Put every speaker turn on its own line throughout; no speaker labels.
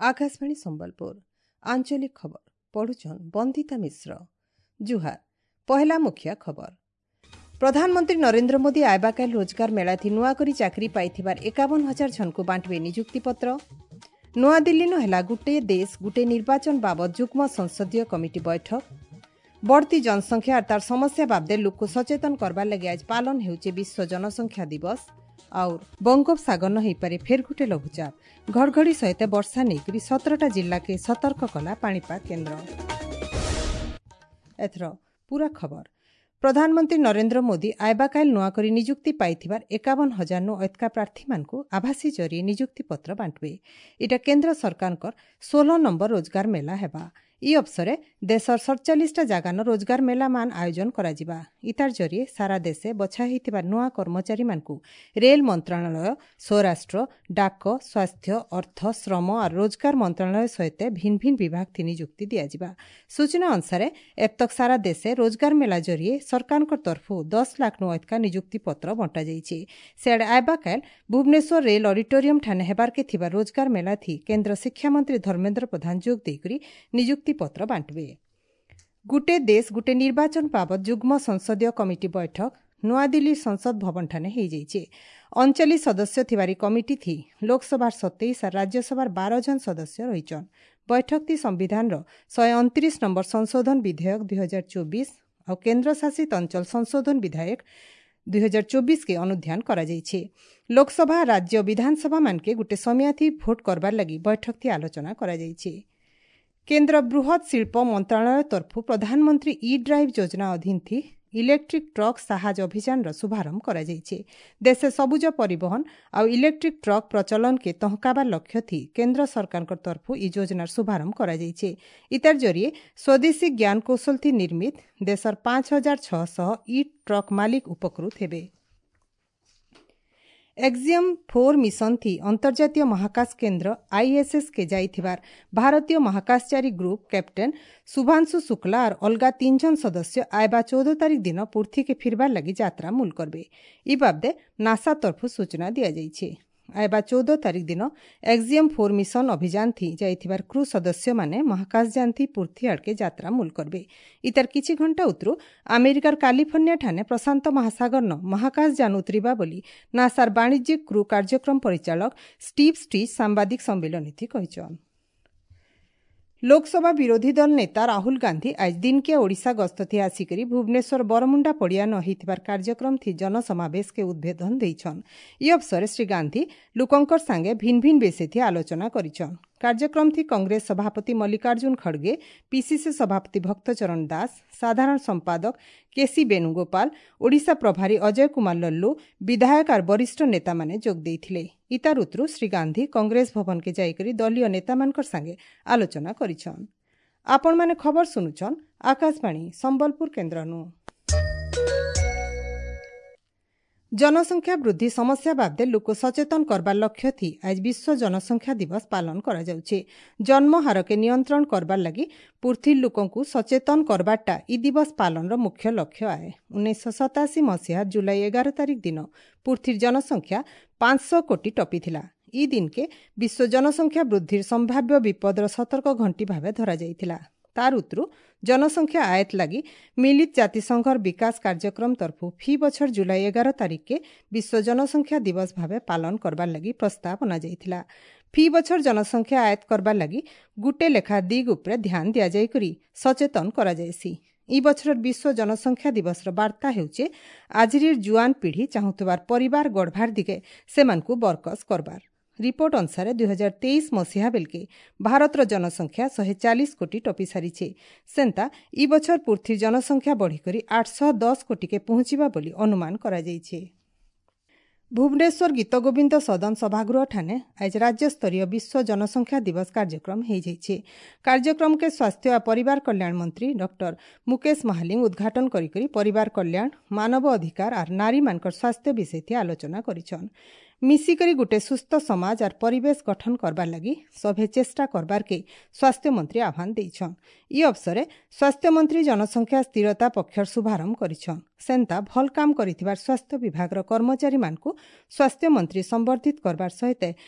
ଆକାଶବାଣୀ ସମ୍ବଲପୁର ଆଞ୍ଚଳିକ ଖବର ପଢୁଛନ୍ ବନ୍ଦିତା ମିଶ୍ର। ଜୁହାର। ପହେଲା ମୁଖିଆ ଖବର। ପ୍ରଧାନମନ୍ତ୍ରୀ ନରେନ୍ଦ୍ର ମୋଦି ଆଇବାକାଲ ରୋଜଗାର ମେଳାଥି ନୂଆକରି ଚାକିରି ପାଇଥିବାର 51,000 ଜଣକୁ ବାଣ୍ଟିବେ ନିଯୁକ୍ତିପତ୍ର। ନୂଆଦିଲ୍ଲୀନୁ ହେଲା ଗୁଟେ ଦେଶ ଗୁଟେ ନିର୍ବାଚନ ବାବଦ ଯୁଗ୍ମ ସଂସଦୀୟ କମିଟି ବୈଠକ। ବଢ଼ତି ଜନସଂଖ୍ୟା ଆର୍ ତାର ସମସ୍ୟା ବାବଦେ ଲୋକକୁ ସଚେତନ କରବାର୍ ଲାଗି ଆଜ ପାଳନ ହେଉଛି ବିଶ୍ୱ ଜନସଂଖ୍ୟା ଦିବସ। ଆଉ ବଙ୍ଗୋପସାଗର ହେଇପାରେ ଫେର୍ ଗୁଟେ ଲଘୁଚାପ, ଘଡ଼ଘଡ଼ି ସହିତ ବର୍ଷା ନେଇକରି 17ଟା ଜିଲ୍ଲାକେ ସତର୍କ କଲା ପାଣିପାଗ କେନ୍ଦ୍ର। ଏଥର ପୁରା ଖବର। ପ୍ରଧାନମନ୍ତ୍ରୀ ନରେନ୍ଦ୍ର ମୋଦି ଆଇବାକାଇଲ ନୂଆକରି ନିଯୁକ୍ତି ପାଇଥିବାର 51,000ନୁ ଅଏତ୍କା ପ୍ରାର୍ଥୀମାନଙ୍କୁ ଆଭାସୀ ଜରିଏ ନିଯୁକ୍ତିପତ୍ର ବାଣ୍ଟିବେ। ଏଇଟା କେନ୍ଦ୍ର ସରକାରଙ୍କର 16 ନମ୍ବର ରୋଜଗାର ମେଳା ହେବା। ଇ ଅବସରେ ଦେଶର 47ଟା ଜାଗାନ ରୋଜଗାର ମେଳା ମାନ ଆୟୋଜନ କରାଯିବା। ଇତାର ଜରିଏ ସାରା ଦେଶେ ବଛା ହେଇଥିବା ନୂଆ କର୍ମଚାରୀମାନଙ୍କୁ ରେଲ ମନ୍ତ୍ରଣାଳୟ, ସ୍ୱରାଷ୍ଟ୍ର, ଡାକ, ସ୍ୱାସ୍ଥ୍ୟ, ଅର୍ଥ, ଶ୍ରମ ଆର୍ ରୋଜଗାର ମନ୍ତ୍ରଣାଳୟ ସହିତ ଭିନ୍ନ ଭିନ୍ନ ବିଭାଗ ଥି ନିଯୁକ୍ତି ଦିଆଯିବା। ସୂଚନା ଅନୁସାରେ ଏବତକ ସାରା ଦେଶେ ରୋଜଗାର ମେଳା ଜରିଏ ସରକାରଙ୍କ ତରଫରୁ 10 ଲାଖନୁ ଅଧିକା ନିଯୁକ୍ତି ପତ୍ର ବଣ୍ଟାଯାଇଛି। ସିଆଡ଼େ ଆଇବାକାଲ ଭୁବନେଶ୍ୱର ରେଲ ଅଡିଟୋରିୟମ ଠାନେ ହେବାର୍କେ ଥିବା ରୋଜଗାର ମେଳା ଥି କେନ୍ଦ୍ର ଶିକ୍ଷାମନ୍ତ୍ରୀ ଧର୍ମେନ୍ଦ୍ର ପ୍ରଧାନ ଯୋଗ ଦେଇକରି ନିଯୁକ୍ତି ପତ୍ର ବାଣ୍ଟିବେ। ଗୁଟେ ଦେଶ ଗୁଟେ ନିର୍ବାଚନ ବାବଦ ଯୁଗ୍ମ ସଂସଦୀୟ କମିଟି ବୈଠକ ନୂଆଦିଲ୍ଲୀ ସଂସଦ ଭବନଠାନେ ହେଇଯାଇଛି। 39 ସଦସ୍ୟ ଥିବାରି କମିଟି ଥି ଲୋକସଭାର 27 ଆର୍ ରାଜ୍ୟସଭାର 12 ଜଣ ସଦସ୍ୟ ରହିଛନ୍। ବୈଠକ ଥି ସମ୍ବିଧାନର 129 ନମ୍ବର ସଂଶୋଧନ ବିଧେୟକ 2024 ଆଉ କେନ୍ଦ୍ରଶାସିତ ଅଞ୍ଚଳ ସଂଶୋଧନ ବିଧେୟକ 2024 କେ ଅନୁଧ୍ୟାନ କରାଯାଇଛି। ଲୋକସଭା ରାଜ୍ୟ ବିଧାନସଭା ମାନକେ ଗୁଟେ ସମିଆଥି ଭୋଟ କରବାର ଲାଗି ବୈଠକ ଥି ଆଲୋଚନା କରାଯାଇଛି। କେନ୍ଦ୍ର ବୃହତ୍ ଶିଳ୍ପ ମନ୍ତ୍ରଣାଳୟ ତରଫରୁ ପ୍ରଧାନମନ୍ତ୍ରୀ ଇ ଡ୍ରାଇଭ୍ ଯୋଜନା ଅଧୀନ ଥି ଇଲେକ୍ଟ୍ରିକ୍ ଟ୍ରକ୍ ସାହାଜ ଅଭିଯାନର ଶୁଭାରମ୍ଭ କରାଯାଇଛି। ଦେଶେ ସବୁଜ ପରିବହନ ଆଉ ଇଲେକ୍ଟ୍ରିକ୍ ଟ୍ରକ୍ ପ୍ରଚଳନକେ ତହକାବାର ଲକ୍ଷ୍ୟ ଥି କେନ୍ଦ୍ର ସରକାରଙ୍କ ତରଫରୁ ଇ ଯୋଜନାର ଶୁଭାରମ୍ଭ କରାଯାଇଛି। ଇତାର ଜରିଏ ସ୍ୱଦେଶୀ ଜ୍ଞାନକୌଶଳ ଥି ନିର୍ମିତ ଦେଶର 5,600 ଇ ଟ୍ରକ୍ ମାଲିକ ଉପକୃତ ହେବେ। ଏକ୍ସିୟମ୍ 4 ମିଶନ ଥି ଅନ୍ତର୍ଜାତୀୟ ମହାକାଶ କେନ୍ଦ୍ର ଆଇଏସ୍ଏସ୍ କେ ଯାଇଥିବାର ଭାରତୀୟ ମହାକାଶଚାରୀ ଗ୍ରୁପ୍ କ୍ୟାପ୍ଟେନ୍ ଶୁଭାଂଶୁ ଶୁକ୍ଲା ଆର୍ ଅଲଗା 3 ଜଣ ସଦସ୍ୟ ଆଇବା 14 ତାରିଖ ଦିନ ପୃଥ୍ୱୀକେ ଫିରବାର ଲାଗି ଯାତ୍ରା ମୂଲ କରବେ। ଇ ବାବଦେ ନାସା ତରଫରୁ ସୂଚନା ଦିଆଯାଇଛି। ଆଇବା 14 ତାରିଖ ଦିନ ଏକ୍ସିୟମ୍ 4 ମିଶନ ଅଭିଯାନ ଥି ଯାଇଥିବାର କ୍ରୁ ସଦସ୍ୟମାନେ ମହାକାଶଯାନ ଥି ପୃଥ୍ୱୀ ଆଡ଼କେ ଯାତ୍ରା ମୂଲ କରବେ। ଇତାର କିଛି ଘଣ୍ଟା ଉତରୁ ଆମେରିକାର କାଲିଫର୍ଣ୍ଣିଆ ଠାନେ ପ୍ରଶାନ୍ତ ମହାସାଗରନ ମହାକାଶଯାନ ଉତରିବା ବୋଲି ନାସାର ବାଣିଜ୍ୟିକ କ୍ରୁ କାର୍ଯ୍ୟକ୍ରମ ପରିଚାଳକ ଷ୍ଟିଭ୍ ଷ୍ଟିଚ୍ ସାମ୍ବାଦିକ ସମ୍ମିଳନୀ ଥି କହିଛନ୍। ଲୋକସଭା ବିରୋଧୀ ଦଳ ନେତା ରାହୁଲ ଗାନ୍ଧୀ ଆଜ ଦିନକିଆ ଓଡ଼ିଶା ଗସ୍ତ ଥି ଆସିକରି ଭୁବନେଶ୍ୱର ବରମୁଣ୍ଡା ପଡ଼ିଆ ନ ହେଇଥିବାର କାର୍ଯ୍ୟକ୍ରମ ଥି ଜନସମାବେଶକେ ଉଦ୍ବୋଧନ ଦେଇଛନ୍। ଇ ଅବସରେ ଶ୍ରୀ ଗାନ୍ଧୀ ଲୋକଙ୍କର ସାଙ୍ଗେ ଭିନ୍ନ ଭିନ୍ନ ବିଷୟ ଥି ଆଲୋଚନା କରିଛନ୍। କାର୍ଯ୍ୟକ୍ରମ ଥି କଂଗ୍ରେସ ସଭାପତି ମଲ୍ଲିକାର୍ଜୁନ ଖଡ଼ଗେ, ପିସିସି ସଭାପତି ଭକ୍ତଚରଣ ଦାସ, ସାଧାରଣ ସମ୍ପାଦକ କେସି ବେଣୁଗୋପାଳ, ଓଡ଼ିଶା ପ୍ରଭାରୀ ଅଜୟ କୁମାର ଲଲ୍ଲୁ, ବିଧାୟକ ଆର୍ ବରିଷ୍ଠ ନେତାମାନେ ଯୋଗ ଦେଇଥିଲେ। ଇତାର ଉତରୁ ଶ୍ରୀ ଗାନ୍ଧୀ କଂଗ୍ରେସ ଭବନକେ ଯାଇକରି ଦଳୀୟ ନେତାମାନଙ୍କର ସାଙ୍ଗେ ଆଲୋଚନା କରିଛନ୍। ଆପଣମାନେ ଖବର ଶୁଣୁଛନ୍ ଆକାଶବାଣୀ ସମ୍ବଲପୁର କେନ୍ଦ୍ରନୁ। ଜନସଂଖ୍ୟା ବୃଦ୍ଧି ସମସ୍ୟା ବାବଦେ ଲୋକ ସଚେତନ କରବାର ଲକ୍ଷ୍ୟ ଥି ଆଜ ବିଶ୍ୱ ଜନସଂଖ୍ୟା ଦିବସ ପାଳନ କରାଯାଉଛି। ଜନ୍ମ ହାରକେ ନିୟନ୍ତ୍ରଣ କରବାର ଲାଗି ପୃଥ୍ୱୀ ଲୋକଙ୍କୁ ସଚେତନ କରବାରଟା ଇ ଦିବସ ପାଳନର ମୁଖ୍ୟ ଲକ୍ଷ୍ୟ ଆଏ। 1987 ମସିହା ଜୁଲାଇ 11 ତାରିଖ ଦିନ ପୃଥ୍ୱୀର ଜନସଂଖ୍ୟା 500 କୋଟି ଟପିଥିଲା। ଇ ଦିନକେ ବିଶ୍ୱ ଜନସଂଖ୍ୟା ବୃଦ୍ଧିର ସମ୍ଭାବ୍ୟ ବିପଦର ସତର୍କ ଘଣ୍ଟି ଭାବେ ଧରାଯାଇଥିଲା। ତାର ଉତରୁ ଜନସଂଖ୍ୟା ଆୟତ ଲାଗି ମିଳିତ ଜାତିସଂଘର ବିକାଶ କାର୍ଯ୍ୟକ୍ରମ ତରଫରୁ ଫି ବଛର ଜୁଲାଇ 11 ତାରିଖକେ ବିଶ୍ୱ ଜନସଂଖ୍ୟା ଦିବସ ଭାବେ ପାଳନ କରବାର ଲାଗି ପ୍ରସ୍ତାବ ଅଣାଯାଇଥିଲା। ଫି ବଛର ଜନସଂଖ୍ୟା ଆୟତ କରବାର ଲାଗି ଗୁଟେ ଲେଖା ଦିଗ ଉପରେ ଧ୍ୟାନ ଦିଆଯାଇକରି ସଚେତନ କରାଯାଇସି। ଇ ବଛରର ବିଶ୍ୱ ଜନସଂଖ୍ୟା ଦିବସର ବାର୍ତ୍ତା ହେଉଛେ ଆଜିର ଜୁଆନ ପିଢ଼ି ଚାହୁଁଥିବାର ପରିବାର ଗଢ଼ବାର ଦିଗେ ସେମାନଙ୍କୁ ବରକସ କରବାର। ରିପୋର୍ଟ ଅନୁସାରେ 2023 ମସିହା ବେଲକେ ଭାରତର ଜନସଂଖ୍ୟା 140 କୋଟି ଟପି ସାରିଛେ। ସେନ୍ତା ଇ ବଛର ପୃଥ୍ୱୀ ଜନସଂଖ୍ୟା ବଢ଼ିକରି 810 କୋଟିକେ ପହଞ୍ଚିବା ବୋଲି ଅନୁମାନ କରାଯାଇଛି। ଭୁବନେଶ୍ୱର ଗୀତଗୋବିନ୍ଦ ସଦନ ସଭାଗୃହଠାନେ ଆଜ ରାଜ୍ୟସ୍ତରୀୟ ବିଶ୍ୱ ଜନସଂଖ୍ୟା ଦିବସ କାର୍ଯ୍ୟକ୍ରମ ହେଇଯାଇଛି। କାର୍ଯ୍ୟକ୍ରମକେ ସ୍ୱାସ୍ଥ୍ୟ ଓ ପରିବାର କଲ୍ୟାଣ ମନ୍ତ୍ରୀ ଡକ୍ଟର ମୁକେଶ ମହାଲିଙ୍ଗ ଉଦ୍ଘାଟନ କରିକରି ପରିବାର କଲ୍ୟାଣ, ମାନବ ଅଧିକାର ଆର୍ ନାରୀମାନଙ୍କର ସ୍ୱାସ୍ଥ୍ୟ ବିଷୟ ଥି ଆଲୋଚନା କରିଛନ୍। ମିଶିକରି ଗୁଟେ ସୁସ୍ଥ ସମାଜ ଆର୍ ପରିବେଶ ଗଠନ କରବାର୍ ଲାଗି ସଭେ ଚେଷ୍ଟା କରବାର୍କେ ସ୍ୱାସ୍ଥ୍ୟମନ୍ତ୍ରୀ ଆହ୍ୱାନ ଦେଇଛନ୍। ଇ ଅବସରେ ସ୍ୱାସ୍ଥ୍ୟମନ୍ତ୍ରୀ ଜନସଂଖ୍ୟା ସ୍ଥିରତା ପକ୍ଷର ଶୁଭାରମ୍ଭ କରିଛନ୍। ସେନ୍ତା ଭଲ୍ କାମ କରିଥିବାର ସ୍ୱାସ୍ଥ୍ୟ ବିଭାଗର କର୍ମଚାରୀମାନଙ୍କୁ ସ୍ୱାସ୍ଥ୍ୟମନ୍ତ୍ରୀ ସମ୍ବର୍ଦ୍ଧିତ କରବାର୍ ସହିତ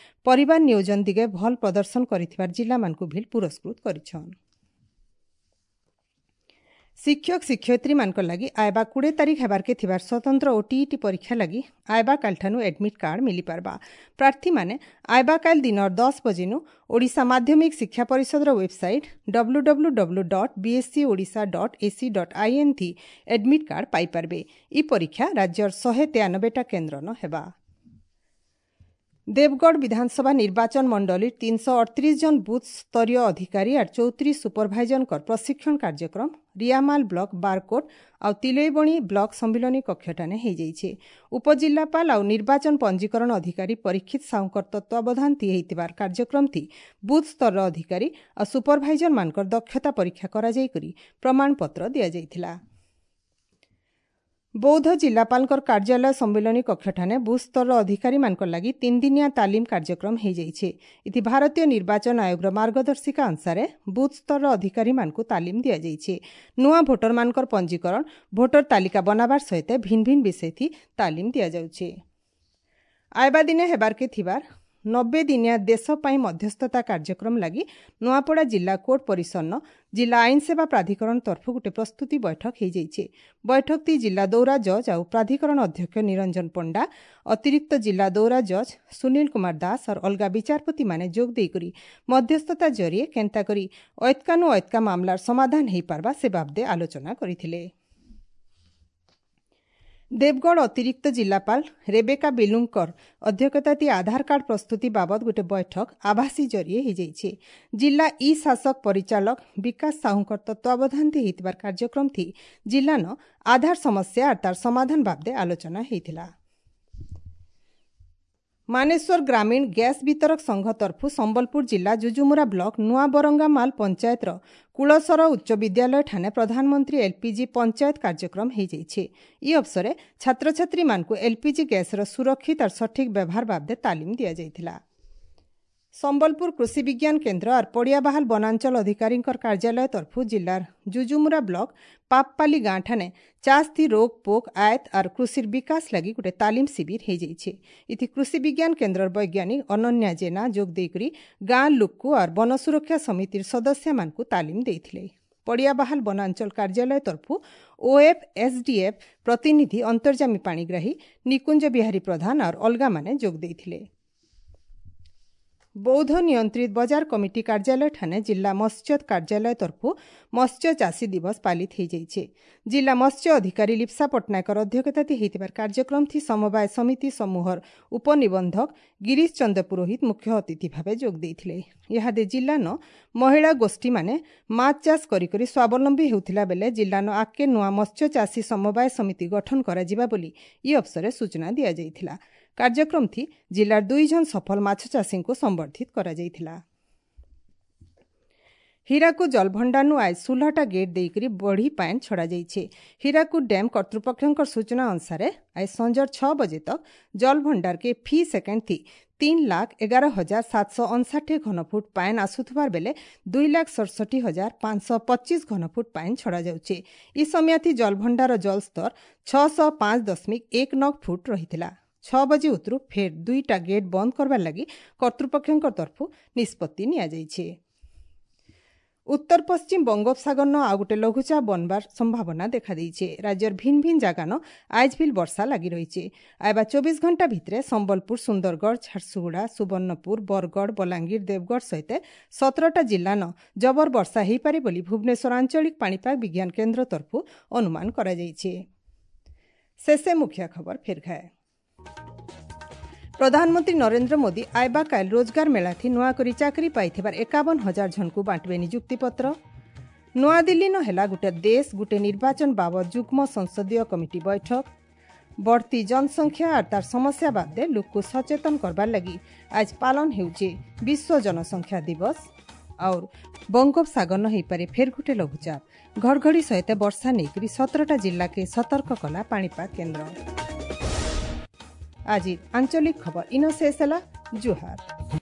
ପରିବାର ନିୟୋଜନ ଦିଗେ ଭଲ୍ ପ୍ରଦର୍ଶନ କରିଥିବାର ଜିଲ୍ଲାମାନଙ୍କୁ ଭିଲ୍ ପୁରସ୍କୃତ କରିଛନ୍। ଶିକ୍ଷକ ଶିକ୍ଷୟିତ୍ରୀମାନଙ୍କ ଲାଗି ଆଇବା 20 ତାରିଖ ହେବାର୍କେ ଥିବାର ସ୍ୱତନ୍ତ୍ର ଓଟିଇଟି ପରୀକ୍ଷା ଲାଗି ଆଇବା କାଲିଠାନୁ ଆଡମିଟ୍ କାର୍ଡ ମିଳିପାରବା। ପ୍ରାର୍ଥୀମାନେ ଆଇବା କାଲି ଦିନର 10 ବଜେନୁ ଓଡ଼ିଶା ମାଧ୍ୟମିକ ଶିକ୍ଷା ପରିଷଦର ୱେବସାଇଟ୍ www.bseodisha.ac.in ଥି ଆଡମିଟ୍ କାର୍ଡ ପାଇପାରବେ। ଇ ପରୀକ୍ଷା ରାଜ୍ୟର 193ଟା କେନ୍ଦ୍ରନ ହେବା। ଦେବଗଡ଼ ବିଧାନସଭା ନିର୍ବାଚନ ମଣ୍ଡଳୀ 338 ଜଣ ବୁଥ୍ ସ୍ତରୀୟ ଅଧିକାରୀ ଆର୍ 34 ସୁପରଭାଇଜରଙ୍କର ପ୍ରଶିକ୍ଷଣ କାର୍ଯ୍ୟକ୍ରମ ରିଆମାଲ ବ୍ଲକ ବାରକୋଟ ଆଉ ତିଲେଇବଣି ବ୍ଲକ ସମ୍ମିଳନୀ କକ୍ଷଠାନେ ହେଇଯାଇଛି। ଉପଜିଲ୍ଲାପାଳ ଆଉ ନିର୍ବାଚନ ପଞ୍ଜୀକରଣ ଅଧିକାରୀ ପରୀକ୍ଷିତ ସାହୁଙ୍କର ତତ୍ତ୍ୱାବଧାନ ଥି ହେଇଥିବାର କାର୍ଯ୍ୟକ୍ରମ ଥି ବୁଥ୍ ସ୍ତରର ଅଧିକାରୀ ଆଉ ସୁପରଭାଇଜରମାନଙ୍କର ଦକ୍ଷତା ପରୀକ୍ଷା କରାଯାଇକରି ପ୍ରମାଣପତ୍ର ଦିଆଯାଇଥିଲା। ବୌଦ୍ଧ ଜିଲ୍ଲାପାଳଙ୍କର କାର୍ଯ୍ୟାଳୟ ସମ୍ମିଳନୀ କକ୍ଷଠାନେ ବୁଥ୍ ସ୍ତରର ଅଧିକାରୀମାନଙ୍କ ଲାଗି 3 ଦିନିଆ ତାଲିମ କାର୍ଯ୍ୟକ୍ରମ ହେଇଯାଇଛି। ଇଥି ଭାରତୀୟ ନିର୍ବାଚନ ଆୟୋଗର ମାର୍ଗଦର୍ଶିକା ଅନୁସାରେ ବୁଥ୍ ସ୍ତରର ଅଧିକାରୀମାନଙ୍କୁ ତାଲିମ ଦିଆଯାଇଛି। ନୂଆ ଭୋଟରମାନଙ୍କର ପଞ୍ଜୀକରଣ, ଭୋଟର ତାଲିକା ବନାବାର ସହିତ ଭିନ୍ନ ଭିନ୍ନ ବିଷୟଥି ତାଲିମ ଦିଆଯାଉଛି। ଆଇବା ଦିନେ ହେବାର୍କେ ଥିବାର 90 ଦିନିଆ ଦେଶ ପାଇଁ ମଧ୍ୟସ୍ଥତା କାର୍ଯ୍ୟକ୍ରମ ଲାଗି ନୂଆପଡ଼ା ଜିଲ୍ଲା କୋର୍ଟ ପରିସରନ ଜିଲ୍ଲା ଆଇନ ସେବା ପ୍ରାଧିକରଣ ତରଫରୁ ଗୋଟେ ପ୍ରସ୍ତୁତି ବୈଠକ ହେଇଯାଇଛି। ବୈଠକଟି ଜିଲ୍ଲା ଦୌରା ଜଜ୍ ଆଉ ପ୍ରାଧିକରଣ ଅଧ୍ୟକ୍ଷ ନିରଞ୍ଜନ ପଣ୍ଡା, ଅତିରିକ୍ତ ଜିଲ୍ଲା ଦୌରା ଜଜ୍ ସୁନୀଲ କୁମାର ଦାସ ଆଉ ଅଲଗା ବିଚାରପତିମାନେ ଯୋଗ ଦେଇକରି ମଧ୍ୟସ୍ଥତା ଜରିଏ କେନ୍ତା କରି ଐତ୍କାନୁ ଐତ୍କା ମାମଲାର ସମାଧାନ ହେଇପାରବା ସେ ବାବଦେ ଆଲୋଚନା କରିଥିଲେ। ଦେବଗଡ଼ ଅତିରିକ୍ତ ଜିଲ୍ଲାପାଳ ରେବେକା ବିଲୁଙ୍କର ଅଧ୍ୟକ୍ଷତାତି ଆଧାର କାର୍ଡ ପ୍ରସ୍ତୁତି ବାବଦ ଗୋଟେ ବୈଠକ ଆଭାସୀ ଜରିଏ ହେଇଯାଇଛି। ଜିଲ୍ଲା ଇ ଶାସକ ପରିଚାଳକ ବିକାଶ ସାହୁଙ୍କର ତତ୍ତ୍ୱାବଧାନ ହେଇଥିବାର କାର୍ଯ୍ୟକ୍ରମ ଥି ଜିଲ୍ଲାନ ଆଧାର ସମସ୍ୟା ଆର୍ ତାର ସମାଧାନ ବାବଦେ ଆଲୋଚନା ହେଇଥିଲା। ମାନେଶ୍ୱର ଗ୍ରାମୀଣ ଗ୍ୟାସ୍ ବିତରକ ସଂଘ ତରଫୁ ସମ୍ବଲପୁର ଜିଲ୍ଲା ଜୁଜୁମୁରା ବ୍ଲକ ନୂଆବରଙ୍ଗାମାଲ ପଞ୍ଚାୟତର କୁଳସର ଉଚ୍ଚ ବିଦ୍ୟାଳୟ ଠାନେ ପ୍ରଧାନମନ୍ତ୍ରୀ ଏଲ୍ପିଜି ପଞ୍ଚାୟତ କାର୍ଯ୍ୟକ୍ରମ ହେଇଯାଇଛି। ଇ ଅବସରେ ଛାତ୍ରଛାତ୍ରୀମାନଙ୍କୁ ଏଲ୍ପିଜି ଗ୍ୟାସ୍ର ସୁରକ୍ଷିତ ଆର୍ ସଠିକ୍ ବ୍ୟବହାର ବାବଦେ ତାଲିମ ଦିଆଯାଇଥିଲା। ସମ୍ବଲପୁର କୃଷି ବିଜ୍ଞାନ କେନ୍ଦ୍ର ଆର୍ ପଡ଼ିଆବାହାଲ ବନାଞ୍ଚଳ ଅଧିକାରୀଙ୍କର କାର୍ଯ୍ୟାଳୟ ତରଫୁ ଜିଲ୍ଲାର ଜୁଜୁମୁରା ବ୍ଲକ ପାପପାଲି ଗାଁ ଠାନେ ଚାଷଥି ରୋଗ ପୋକ ଆୟତ ଆର୍ କୃଷିର ବିକାଶ ଲାଗି ଗୋଟେ ତାଲିମ ଶିବିର ହେଇଯାଇଛି। ଇଥି କୃଷି ବିଜ୍ଞାନ କେନ୍ଦ୍ରର ବୈଜ୍ଞାନିକ ଅନନ୍ୟା ଜେନା ଯୋଗ ଦେଇକରି ଗାଁ ଲୋକକୁ ଆର୍ ବନ ସୁରକ୍ଷା ସମିତିର ସଦସ୍ୟମାନଙ୍କୁ ତାଲିମ ଦେଇଥିଲେ। ପଡ଼ିଆବାହାଲ ବନାଞ୍ଚଳ କାର୍ଯ୍ୟାଳୟ ତରଫୁ ଓଏଫ୍ ଏସ୍ଡିଏଫ୍ ପ୍ରତିନିଧି ଅନ୍ତର୍ଯାମୀ ପାଣିଗ୍ରାହୀ, ନିକୁଞ୍ଜ ବିହାରୀ ପ୍ରଧାନ ଆର୍ ଅଲଗାମାନେ ଯୋଗ ଦେଇଥିଲେ। ବୌଦ୍ଧ ନିୟନ୍ତ୍ରିତ ବଜାର କମିଟି କାର୍ଯ୍ୟାଳୟ ଠାନେ ଜିଲ୍ଲା ମତ୍ସ୍ୟ କାର୍ଯ୍ୟାଳୟ ତରଫୁ ମତ୍ସ୍ୟ ଚାଷୀ ଦିବସ ପାଳିତ ହେଇଯାଇଛି। ଜିଲ୍ଲା ମତ୍ସ୍ୟ ଅଧିକାରୀ ଲିପ୍ସା ପଟ୍ଟନାୟକର ଅଧ୍ୟକ୍ଷତାତି ହେଇଥିବାର କାର୍ଯ୍ୟକ୍ରମ ଥି ସମବାୟ ସମିତି ସମୂହର ଉପନିବନ୍ଧକ ଗିରୀଶ ଚନ୍ଦ୍ର ପୁରୋହିତ ମୁଖ୍ୟ ଅତିଥି ଭାବେ ଯୋଗ ଦେଇଥିଲେ। ଇହାଦେ ଜିଲ୍ଲାନ ମହିଳା ଗୋଷ୍ଠୀମାନେ ମାଛ ଚାଷ କରିକରି ସ୍ୱାବଲମ୍ବୀ ହେଉଥିଲା ବେଲେ ଜିଲ୍ଲାନ ଆଗକେ ନୂଆ ମତ୍ସ୍ୟ ଚାଷୀ ସମବାୟ ସମିତି ଗଠନ କରାଯିବା ବୋଲି ଇ ଅବସରେ ସୂଚନା ଦିଆଯାଇଥିଲା। କାର୍ଯ୍ୟକ୍ରମ ଥି ଜିଲ୍ଲାର 2 ଜଣ ସଫଳ ମାଛ ଚାଷୀଙ୍କୁ ସମ୍ବର୍ଦ୍ଧିତ କରାଯାଇଥିଲା। ହୀରାକୁଦ ଜଳଭଣ୍ଡାରନୁ ଆଜ 16ଟା ଗେଟ୍ ଦେଇକରି ବଢ଼ି ପାଏନ୍ ଛଡ଼ାଯାଇଛି। ହୀରାକୁଦ ଡ୍ୟାମ୍ କର୍ତ୍ତୃପକ୍ଷଙ୍କ ସୂଚନା ଅନୁସାରେ ଆଜ ସଞ୍ଜର 6 ବଜେ ତକ୍ ଜଳଭଣ୍ଡାରକେ ଫି ସେକେଣ୍ଡ ଥି 3,11,759 ଘନଫୁଟ ପାଏନ୍ ଆସୁଥିବାର ବେଲେ 2,67,525 ଘନଫୁଟ ପାଏନ୍ ଛଡ଼ାଯାଉଛି। ଇ ସମୟାଥି ଜଳଭଣ୍ଡାର ଜଳସ୍ତର 605.19 ଫୁଟ ରହିଥିଲା। 6 ବଜେ ଉତରୁ ଫେର୍ 2ଟା ଗେଟ୍ ବନ୍ଦ କରବାର୍ ଲାଗି କର୍ତ୍ତୃପକ୍ଷଙ୍କ ତରଫୁ ନିଷ୍ପତ୍ତି ନିଆଯାଇଛି। ଉତ୍ତର ପଶ୍ଚିମ ବଙ୍ଗୋପସାଗରନ ଆଉ ଗୋଟେ ଲଘୁଚାପ ବନବାର ସମ୍ଭାବନା ଦେଖାଦେଇছে। ରାଜ୍ୟର ଭିନ୍ନ ଭିନ୍ନ ଜାଗାନ ଆଜ୍ ଭିଲ୍ ବର୍ଷା ଲାଗି ରହିছে। ଆଇବା 24 ଘଣ୍ଟା ଭିତରେ ସମ୍ବଲପୁର, ସୁନ୍ଦରଗଡ଼, ଝାରସୁଗୁଡ଼ା, ସୁବର୍ଣ୍ଣପୁର, ବରଗଡ଼, ବଲାଙ୍ଗୀର, ଦେବଗଡ଼ ସହିତ 17ଟା ଜିଲ୍ଲାନ ଜବର ବର୍ଷା ହେଇପାରେ ବୋଲି ଭୁବନେଶ୍ୱର ଆଞ୍ଚଳିକ ପାଣିପାଗ ବିଜ୍ଞାନ କେନ୍ଦ୍ର ତରଫୁ ଅନୁମାନ କରାଯାଇଛି। ଶେଷେ ମୁଖ୍ୟ ଖବର ଫେର୍ ଘାଏ। ପ୍ରଧାନମନ୍ତ୍ରୀ ନରେନ୍ଦ୍ର ମୋଦି ଆଇବା କାଲ ରୋଜଗାର ମେଳାଥି ନୂଆ କରି ଚାକିରି ପାଇଥିବାର 51,000 ଜଣକୁ ବାଣ୍ଟିବେ ନିଯୁକ୍ତିପତ୍ର। ନୂଆଦିଲ୍ଲୀନ ହେଲା ଗୋଟେ ଦେଶ ଗୋଟେ ନିର୍ବାଚନ ବାବଦ ଯୁଗ୍ମ ସଂସଦୀୟ କମିଟି ବୈଠକ। ବଢ଼ତି ଜନସଂଖ୍ୟା ଆର୍ ତାର ସମସ୍ୟା ବାଦେ ଲୋକକୁ ସଚେତନ କରବାର୍ ଲାଗି ଆଜ ପାଳନ ହେଉଛି ବିଶ୍ୱ ଜନସଂଖ୍ୟା ଦିବସ। और ବଙ୍ଗୋପସାଗର ହେଇପାରେ ଫେର୍ ଗୋଟେ ଲଘୁଚାପ। ଘଡ଼ଘଡ଼ି ସହିତ ବର୍ଷା ନେଇକରି 17ଟା ଜିଲ୍ଲାକେ ସତର୍କ କଲା ପାଣିପାଗ କେନ୍ଦ୍ର। ଆଜି ଆଞ୍ଚଳିକ ଖବର ଇନ ଶେଷ ହେଲା। ଜୁହାର।